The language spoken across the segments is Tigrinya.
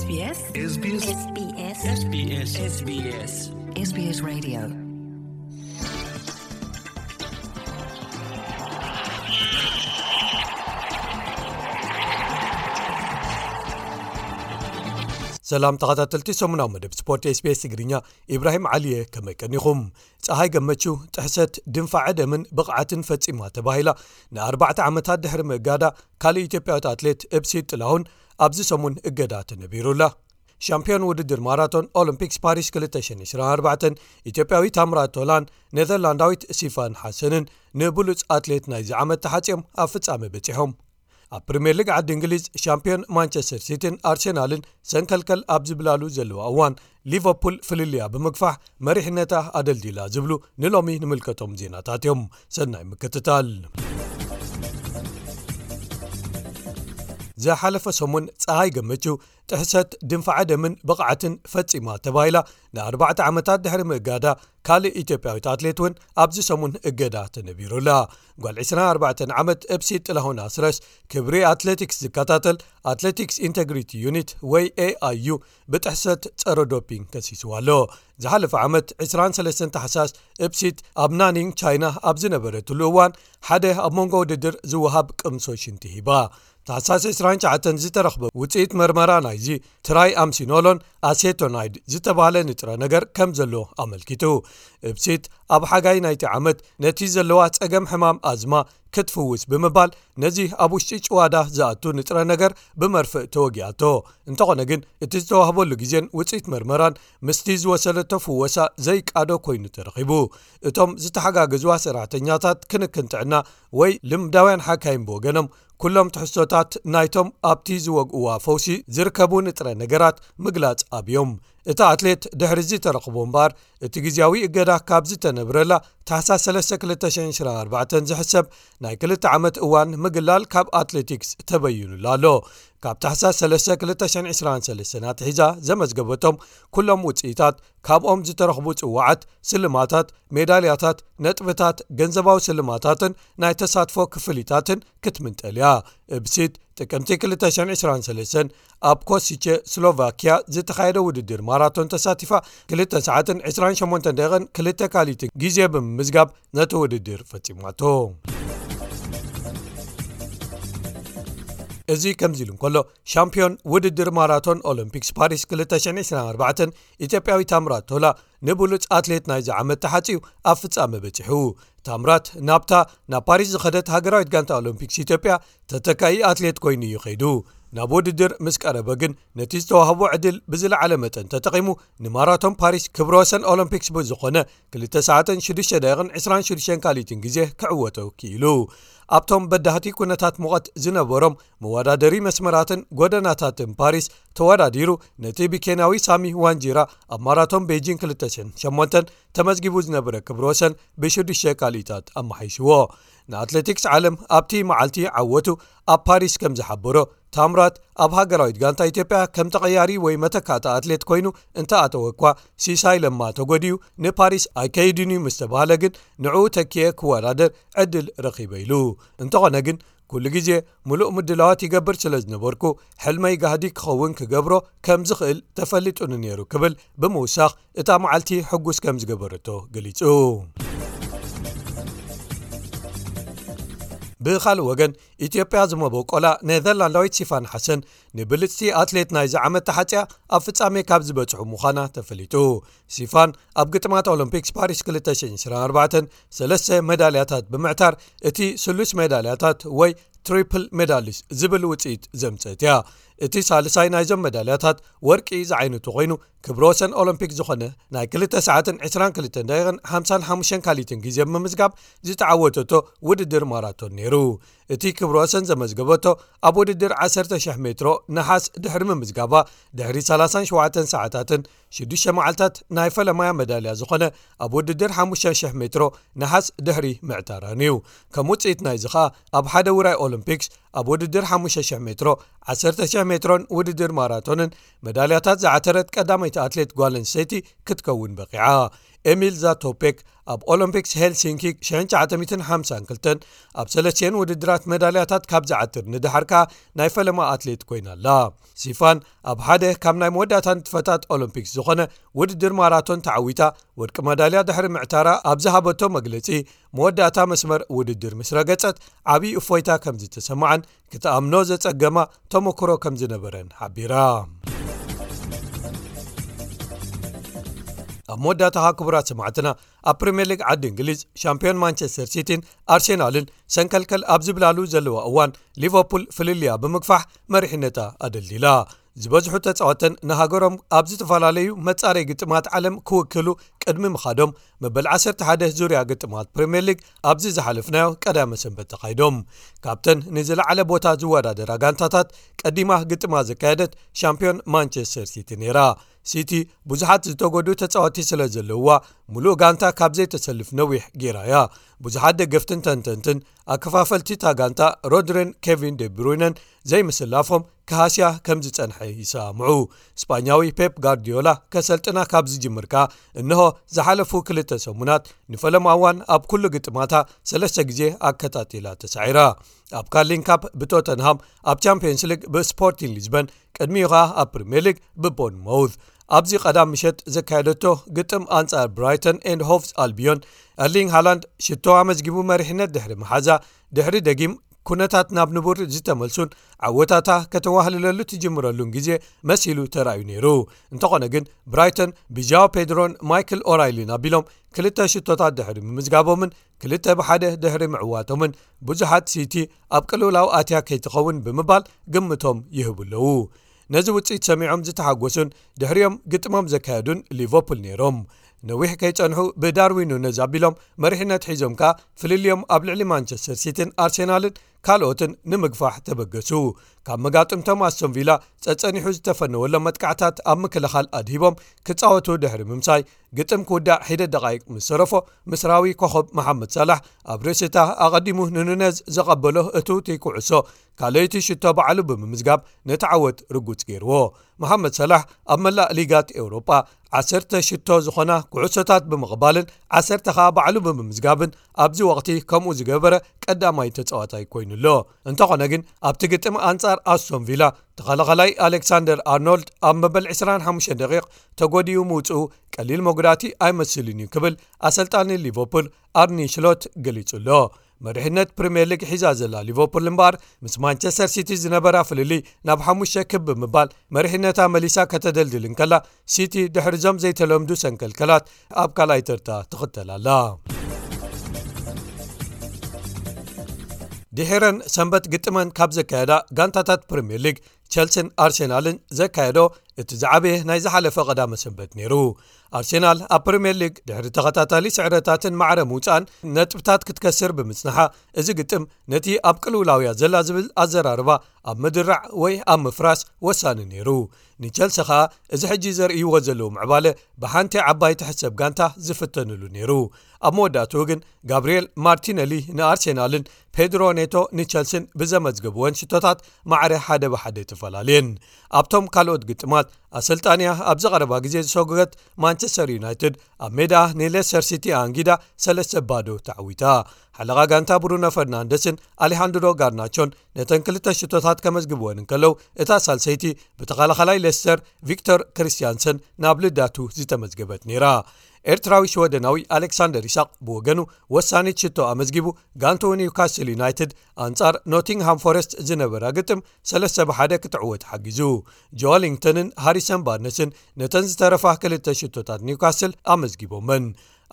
SBS SBS SBS SBS SBS Radio. ሰላም ተኸታተልቲ ሰሙናዊ መደብ ስፖርት SBS ትግርኛ፣ ኢብራሂም ዓሊየ፣ ከመይ ቀኒኹም? ጸሃይ ገመቹ ጥሕሰት ድንፋዐ ደምን ብቕዓትን ፈጺማ ተባሂላ ንኣርባዕተ ዓመታት ድሕሪ ምእጋዳ፣ ካልእ ኢትዮጵያዊት ኣትሌት እብሲት ጥላሁን ኣብዚ ሰሙን እገዳ ተነቢሩላ። ሻምፒዮን ውድድር ማራቶን ኦሎምፒክስ ፓሪስ ክልተ ሽሕን ዕስራን ኣርባዕተን ኢትዮጵያዊ ታምራት ቶላን ኔዘርላንዳዊት ሲፋን ሓሰንን ንብሉጽ ኣትሌት ናይዚ ዓመት ተሓጽዮም ኣብ ፍጻመ በጺሖም። ኣብ ፕሪምየር ሊግ ዓዲ እንግሊዝ ሻምፒዮን ማንቸስተር ሲቲን ኣርሴናልን ሰንከልከል ኣብ ዝብላሉ ዘለዋ እዋን፣ ሊቨርፑል ፍልልያ ብምግፋሕ መሪሕነታ ኣደልዲላ ዝብሉ ንሎሚ ንምልከቶም ዜናታት እዮም። ሰናይ ምክትታል። ዝሓለፈ ሰሙን ጸሃይ ገመቹ ጥሕሰት ድንፋዐ ደምን ብቕዓትን ፈጺማ ተባሂላ ንኣርባዕተ ዓመታት ድሕሪ ምእጋዳ፣ ካልእ ኢትዮጵያዊት ኣትሌት እውን ኣብዚ ሰሙን እገዳ ተነቢሩላ። ጓል ዕስራን ኣርባዕተን ዓመት እብሲት ጥላሁን ኣስረስ፣ ክብሪ ኣትሌቲክስ ዝከታተል ኣትሌቲክስ ኢንተግሪቲ ዩኒት ወይ ኤኣይዩ ብጥሕሰት ጸረ ዶፒንግ ከሲስዋ ኣሎ። ዝሓለፈ ዓመት ዕስራን ሰለስተን ታሕሳስ እብሲት ኣብ ናኒንግ ቻይና ኣብ ዝነበረትሉ እዋን፣ ሓደ ኣብ መንጎ ውድድር ዝወሃብ ቅምሶ ሽንቲ ሂባ። ታሕሳስ ዕስራን ትሽዓተን ዝተረኽበ ውጽኢት መርመራ ናይዚ ትራይ ኣምሲኖሎን ኣሴቶናይድ ዝተባህለ ንጥረ ነገር ከም ዘሎ ኣመልኪቱ። እብሲት ኣብ ሓጋይ ናይቲ ዓመት ነቲ ዘለዋ ጸገም ሕማም ኣዝማ ክትፍውስ ብምባል፣ ነዚ ኣብ ውሽጢ ጭዋዳ ዝኣቱ ንጥረ ነገር ብመርፍእ ተወጊኣቶ። እንተኾነ ግን፣ እቲ ዝተዋህበሉ ግዜን ውጽኢት መርመራን ምስቲ ዝወሰደቶ ፍወሳ ዘይቃዶ ኮይኑ ተረኺቡ። እቶም ዝተሓጋገዝዋ ሰራሕተኛታት ክንክን ጥዕና ወይ ልምዳውያን ሓካይም ብወገኖም፣ ኩሎም ትሕዝቶታት ናይቶም ኣብቲ ዝወግእዋ ፈውሲ ዝርከቡ ንጥረ ነገራት ምግላጽ ኣብዮም። እታ ኣትሌት ድሕሪ እዚ ተረኽቦ እምበኣር፣ እቲ ግዜያዊ እገዳ ካብ ዝተነብረላ ታሕሳስ ሰለስተ ክልተ ሽሕን ዕስራን ኣርባዕተን ዝሕሰብ ናይ ክልተ ዓመት እዋን ምግላል ካብ ኣትሌቲክስ ተበይኑላ ኣሎ። ካብ ታሕሳስ ሰለስተ ክልተ ሽሕን ዕስራን ሰለስተን ኣትሒዛ ዘመዝገበቶም ኩሎም ውጽኢታት፣ ካብኦም ዝተረኽቡ ጽዋዓት፣ ስልማታት፣ ሜዳልያታት፣ ነጥብታት፣ ገንዘባዊ ስልማታትን ናይ ተሳትፎ ክፍሊታትን ክትምንጠል እያ። እብሲት ጥቅምቲ ክልተ ሽሕን ዕስራን ሰለስተን ኣብ ኮሲቼ ስሎቫኪያ ዝተኻየደ ውድድር ማራቶን ተሳቲፋ፣ ክልተ ሰዓትን ዕስራን ሸሞንተን ደቂቕን ክልተ ካሊትን ግዜ ብምምዝጋብ ነቲ ውድድር ፈጺማቶ። እዚ ከምዚ ኢሉ እንከሎ፣ ሻምፒዮን ውድድር ማራቶን ኦሎምፒክስ ፓሪስ ክልተ ሽሕን ዕስራን ኣርባዕተን ኢትዮጵያዊ ታምራት ቶላ ንብሉጽ ኣትሌት ናይዚ ዓመት ተሓጺኡ ኣብ ፍጻመ በጺሑ። ታምራት ናብታ ናብ ፓሪስ ዝኸደት ሃገራዊት ጋንታ ኦሎምፒክስ ኢትዮጵያ ተተካኢ ኣትሌት ኮይኑ እዩ ከይዱ። ናብ ውድድር ምስ ቀረበ ግን፣ ነቲ ዝተዋህቦ ዕድል ብዝለዓለ መጠን ተጠቒሙ፣ ንማራቶን ፓሪስ ክብረ ወሰን ኦሎምፒክስ ብዝኾነ ክልተ ሰዓትን ሽዱሽተ ደቂቕን ዕስራን ሽዱሽተን ካልኢትን ግዜ ክዕወቶ ክኢሉ። ኣብቶም በዳህቲ ኩነታት ሙቐት ዝነበሮም መወዳደሪ መስመራትን ጎደናታትን ፓሪስ ተወዳዲሩ፣ ነቲ ብኬንያዊ ሳሚ ዋንጂራ ኣብ ማራቶን ቤጂን ክልተ ሽሕን ሸሞንተን ተመዝጊቡ ዝነበረ ክብረ ወሰን ብሽዱሽተ ካልኢታት ኣመሓይሽዎ። ንኣትሌቲክስ ዓለም ኣብቲ መዓልቲ ዓወቱ ኣብ ፓሪስ ከም ዝሓበሮ፣ ታምራት ኣብ ሃገራዊት ጋንታ ኢትዮጵያ ከም ተቐያሪ ወይ መተካእታ ኣትሌት ኮይኑ እንተኣተወ እኳ፣ ሲሳይ ለማ ተጎዲኡ ንፓሪስ ኣይከይድን እዩ ምስ ተባህለ ግን፣ ንዕኡ ተኪኤ ክወዳደር ዕድል ረኺበ ኢሉ። እንተኾነ ግን፣ ኩሉ ግዜ ምሉእ ምድላዋት ይገብር ስለ ዝነበርኩ፣ ሕልመይ ጋህዲ ክኸውን ክገብሮ ከም ዝኽእል ተፈሊጡኒ ነይሩ ክብል ብምውሳኽ፣ እታ መዓልቲ ሕጉስ ከም ዝገበረቶ ገሊጹ። ብኻልእ ወገን፣ ኢትዮጵያ ዝመበቆላ ኔዘርላንዳዊት ሲፋን ሓሰን ንብልጽቲ ኣትሌት ናይዚ ዓመት ተሓጽያ ኣብ ፍጻሜ ካብ ዝበጽሑ ምዃና ተፈሊጡ። ሲፋን ኣብ ግጥማት ኦሎምፒክስ ፓሪስ ክልተ ሽሕን ዕስራን ኣርባዕተን ሰለስተ ሜዳልያታት ብምዕታር፣ እቲ ስሉስ ሜዳልያታት ወይ ትሪፕል ሜዳሊስት ዝብል ውጽኢት ዘምጸት እያ። እቲ ሳልሳይ ናይዞም ሜዳልያታት ወርቂ ዝዓይነቱ ኮይኑ፣ ክብረ ወሰን ኦሎምፒክ ዝኾነ ናይ ክልተ ሰዓትን ዕስራን ክልተን ደቂቕን ሓምሳን ሓሙሽተን ካልኢትን ግዜ ብምምዝጋብ ዝተዓወተቶ ውድድር ማራቶን ነይሩ። እቲ ክብረ ወሰን ዘመዝገበቶ ኣብ ውድድር ዓሰርተ ሽሕ ሜትሮ ነሓስ ድሕሪ ምምዝጋባ፣ ድሕሪ ሰላሳን ሸውዓተን ሰዓታትን ሽዱሽተ መዓልታት ናይ ፈለማያ መዳልያ ዝኾነ ኣብ ውድድር ሓሙሽተ ሽሕ ሜትሮ ነሓስ ድሕሪ ምዕታራን እዩ። ከም ውጽኢት ናይዚ ኸኣ፣ ኣብ ሓደ ውራይ ኦሎምፒክስ ኣብ ውድድር ሓሙሽተ ሽሕ ሜትሮ፣ ዓሰርተ ሽሕ ሜትሮን ውድድር ማራቶንን መዳልያታት ዝዓተረት ቀዳመይቲ ኣትሌት ጓል ኣንስተይቲ ክትከውን በቒዓ። ኤሚል ዛቶፔክ ኣብ ኦሎምፒክስ ሄልሲንኪ ሽሕን ትሽዓተ ሚእትን ሓምሳን ክልተን ኣብ ሰለስቲኤን ውድድራት መዳልያታት ካብ ዝዓትር ንድሓር ከኣ ናይ ፈለማ ኣትሌት ኮይና ኣላ። ሲፋን ኣብ ሓደ ካብ ናይ መወዳእታ ንጥፈታት ኦሎምፒክስ ዝኾነ ውድድር ማራቶን ተዓዊታ ወርቂ መዳልያ ድሕሪ ምዕታራ ኣብ ዝሃበቶ መግለጺ፣ መወዳእታ መስመር ውድድር ምስ ረገጸት ዓብዪ እፎይታ ከም ዝተሰማዓን ክትኣምኖ ዘጸገማ ተመክሮ ከም ዝነበረን ሓቢራ። ኣብ መወዳእታ ክቡራት ሰማዕትና፣ ኣብ ፕሪምየር ሊግ ዓዲ እንግሊዝ ሻምፒዮን ማንቸስተር ሲቲን ኣርሴናልን ሰንከልከል ኣብ ዝብላሉ ዘለዋ እዋን፣ ሊቨርፑል ፍልልያ ብምግፋሕ መሪሕነታ ኣደልዲላ። ዝበዝሑ ተጻወተን ንሃገሮም ኣብ ዝተፈላለዩ መጻረይ ግጥማት ዓለም ክውክሉ ቅድሚ ምኻዶም፣ መበል ዓሰርተ ሓደ ዙርያ ግጥማት ፕሪምየር ሊግ ኣብዚ ዝሓለፍናዮ ቀዳመ ሰንበት ተኻይዶም። ካብተን ንዝለዓለ ቦታ ዝወዳደራ ጋንታታት ቀዲማ ግጥማ ዘካየደት ሻምፒዮን ማንቸስተር ሲቲ ነይራ። ሲቲ ብዙሓት ዝተጎዱ ተጻወቲ ስለ ዘለውዋ፣ ሙሉእ ጋንታ ካብ ዘይተሰልፍ ነዊሕ ገይራ እያ። ብዙሓት ደገፍትን ተንተንትን ኣከፋፈልቲ እታ ጋንታ ሮድሪን ኬቪን ዴብሩይነን ዘይምስላፎም ክሃስያ ከም ዝጸንሐ ይሰማምዑ። ስጳኛዊ ፔፕ ጋርዲዮላ ከሰልጥና ካብ ዝጅምር ከኣ እንሆ ዝሓለፉ ክልተ ሰሙናት ንፈለማ እዋን ኣብ ኩሉ ግጥማታ ሰለስተ ግዜ ኣከታቲላ ተሳዒራ። ኣብ ካርሊን ካፕ ብቶተንሃም፣ ኣብ ቻምፒየንስ ሊግ ብስፖርቲን ሊዝበን፣ ቅድሚኡ ኸኣ ኣብ ፕሪምየር ሊግ ብቦርንማውዝ። ኣብዚ ቀዳም ምሸት ዘካየደቶ ግጥም ኣንጻር ብራይተን ኤንድ ሆቭስ ኣልቢዮን፣ ኤርሊንግ ሃላንድ ሽቶ ኣመዝጊቡ መሪሕነት ድሕሪ መሓዛ፣ ድሕሪ ደጊም ኩነታት ናብ ንቡር ዝተመልሱን ዓወታታ ከተዋህልለሉ ትጅምረሉን ግዜ መሲሉ ተራእዩ ነይሩ። እንተኾነ ግን ብራይተን ብጃኦ ፔድሮን ማይክል ኦራይሊን ኣቢሎም ክልተ ሽቶታት ድሕሪ ምምዝጋቦምን ክልተ ብሓደ ድሕሪ ምዕዋቶምን ብዙሓት ሲቲ ኣብ ቅልውላው ኣትያ ከይትኸውን ብምባል ግምቶም ይህቡ ኣለዉ። ነዚ ውጽኢት ሰሚዖም ዝተሓጎሱን ድሕሪኦም ግጥሞም ዘካየዱን ሊቨርፑል ነይሮም። ነዊሕ ከይጸንሑ ብዳርዊን ኑነዝ ኣቢሎም መሪሕነት ሒዞም ከኣ ፍልልዮም ኣብ ልዕሊ ማንቸስተር ሲቲን ኣርሴናልን ካልኦትን ንምግፋሕ ተበገሱ። ካብ መጋጥምቶም ኣስቶን ቪላ ጸጸኒሑ ዝተፈነወሎም መጥቃዕታት ኣብ ምክልኻል ኣድሂቦም ክጻወቱ ድሕሪ ምምሳይ፣ ግጥም ክውዳእ ሒደት ደቓይቕ ምስ ተረፎ፣ ምስራዊ ኮኸብ መሓመድ ሳላሕ ኣብ ርእሲታ ኣቐዲሙ ንኑነዝ ዘቐበሎ እትውቲ ኩዕሶ ካልኣይቲ ሽቶ ባዕሉ ብምምዝጋብ ነቲ ዓወት ርጉጽ ገይርዎ። መሓመድ ሳላሕ ኣብ መላእ ሊጋት ኤውሮጳ ዓሰርተ ሽቶ ዝኾና ኩዕሶታት ብምቕባልን ዓሰርተ ኸኣ ባዕሉ ብምምዝጋብን ኣብዚ ወቕቲ ከምኡ ዝገበረ ቀዳማይ ተጻዋታይ ኮይኑ ኣሎ። እንተኾነ ግን ኣብቲ ግጥም ኣንጻር ኣስቶን ቪላ ተኸላኸላይ ኣሌክሳንደር ኣርኖልድ ኣብ መበል ዕስራን ሓሙሽተን ደቂቕ ተጎዲኡ ምውጽኡ ቀሊል መጉዳእቲ ኣይመስልን እዩ ክብል ኣሰልጣኒ ሊቨርፑል ኣርኒ ሽሎት ገሊጹ ኣሎ። መሪሕነት ፕሪምየር ሊግ ሒዛ ዘላ ሊቨርፑል እምበኣር ምስ ማንቸስተር ሲቲ ዝነበራ ፍልልይ ናብ ሓሙሽተ ክብ ብምባል መሪሕነታ መሊሳ ከተደልድል እንከላ፣ ሲቲ ድሕሪዞም ዘይተለምዱ ሰንከልከላት ኣብ ካልኣይ ተርታ ትኽተል ኣላ። ድሒረን ሰንበት ግጥመን ካብ ዘካየዳ ጋንታታት ፕሪምየር ሊግ ቸልሲን ኣርሴናልን ዘካየዶ እቲ ዝዓበየ ናይ ዝሓለፈ ቀዳመ ሰንበት ነይሩ። ኣርሴናል ኣብ ፕሪምየር ሊግ ድሕሪ ተኸታታሊ ስዕረታትን ማዕረ ምውጻእን ነጥብታት ክትከስር ብምጽንሓ፣ እዚ ግጥም ነቲ ኣብ ቅልውላውያ ዘላ ዝብል ኣዘራርባ ኣብ ምድራዕ ወይ ኣብ ምፍራስ ወሳኒ ነይሩ። ንቸልሲ ኸኣ እዚ ሕጂ ዘርእይዎ ዘለዉ ምዕባለ ብሓንቲ ዓባይ ትሕሰብ ጋንታ ዝፍተንሉ ነይሩ። ኣብ መወዳእትኡ ግን ጋብርኤል ማርቲነሊ ንኣርሴናልን ፔድሮ ኔቶ ንቸልሲን ብዘመዝገብወን ሽቶታት ማዕረ ሓደ ብሓደ ተፈላለየን። ኣብቶም ካልኦት ግጥማት ኣሰልጣንያ ኣብዚ ቀረባ ግዜ ዝሰጎገት ማንቸስተር ዩናይትድ ኣብ ሜዳ ንሌስተር ሲቲ ኣንጊዳ ሰለስተ ባዶ ተዓዊታ። ሓለቓ ጋንታ ብሩኖ ፈርናንደስን ኣሌሃንድሮ ጋርናቾን ነተን ክልተ ሽቶታት ከመዝግብወን እንከለዉ፣ እታ ሳልሰይቲ ብተኸላኸላይ ሌስተር ቪክቶር ክሪስቲያንሰን ናብ ልዳቱ ዝተመዝገበት ነይራ። ኤርትራዊ ሽወደናዊ ኣሌክሳንደር ይስሐቅ ብወገኑ ወሳኒት ሽቶ ኣመዝጊቡ፣ ጋንትኡ ኒውካስል ዩናይትድ ኣንጻር ኖቲንግሃም ፎረስት ዝነበራ ግጥም ሰለስተ ብሓደ ክትዕወት ሓጊዙ። ጆሊንግተንን ሃሪሰን ባርነስን ነተን ዝተረፋ ክልተ ሽቶታት ኒውካስል ኣመዝጊቦመን።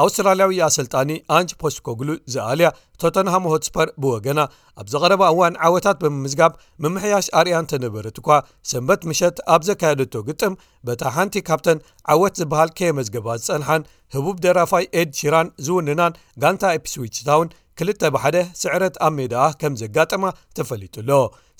ኣውስትራልያዊ ኣሰልጣኒ ኣንጅ ፖስኮግሉ ዝኣልያ ቶተንሃም ሆትስፐር ብወገና ኣብ ዝቐረባ እዋን ዓወታት ብምምዝጋብ ምምሕያሽ ኣርእያ እንተነበረት እኳ፣ ሰንበት ምሸት ኣብ ዘካየደቶ ግጥም በታ ሓንቲ ካብተን ዓወት ዝበሃል ከየመዝገባ ዝጸንሓን ህቡብ ደራፋይ ኤድ ሺራን ዝውንናን ጋንታ ኢፕስዊች ታውን ክልተ ብሓደ ስዕረት ኣብ ሜዳኣ ከም ዘጋጠማ ተፈሊጡ ኣሎ።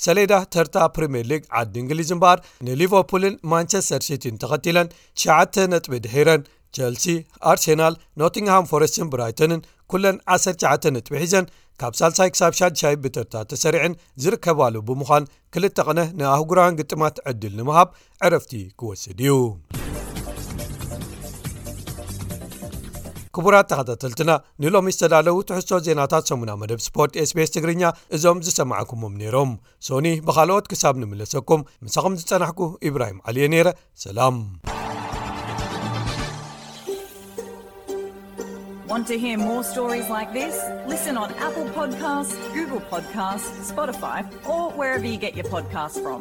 ሰሌዳ ተርታ ፕሪምየር ሊግ ዓዲ እንግሊዝ እምበኣር ንሊቨርፑልን ማንቸስተር ሲቲን ተኸቲለን ትሽዓተ ነጥቢ ድሒረን፣ ቸልሲ፣ ኣርሴናል፣ ኖቲንግሃም ፎረስትን ብራይተንን ኩለን ዓሰርተ ትሽዓተ ነጥቢ ሒዘን ካብ ሳልሳይ ክሳብ ሻድሻይ ብተርታ ተሰሪዐን ዝርከባሉ ብምዃን፣ ክልተ ቅነ ንኣህጉራውያን ግጥማት ዕድል ንምሃብ ዕረፍቲ ክወስድ እዩ። ክቡራት ተኸታተልትና፣ ንሎሚ ዝተዳለዉ ትሕዝቶ ዜናታት ሰሙና መደብ ስፖርት SBS ትግርኛ እዞም ዝሰማዕኩሞም ነይሮም። ሶኒ ብኻልኦት ክሳብ ንምለሰኩም፣ ምሳኹም ዝጸናሕኩ ኢብራሂም ዓሊ እየ ነይረ። ሰላም። Want to hear more stories like this? Listen on Apple Podcasts, Google Podcasts, Spotify, or wherever you get your podcasts from.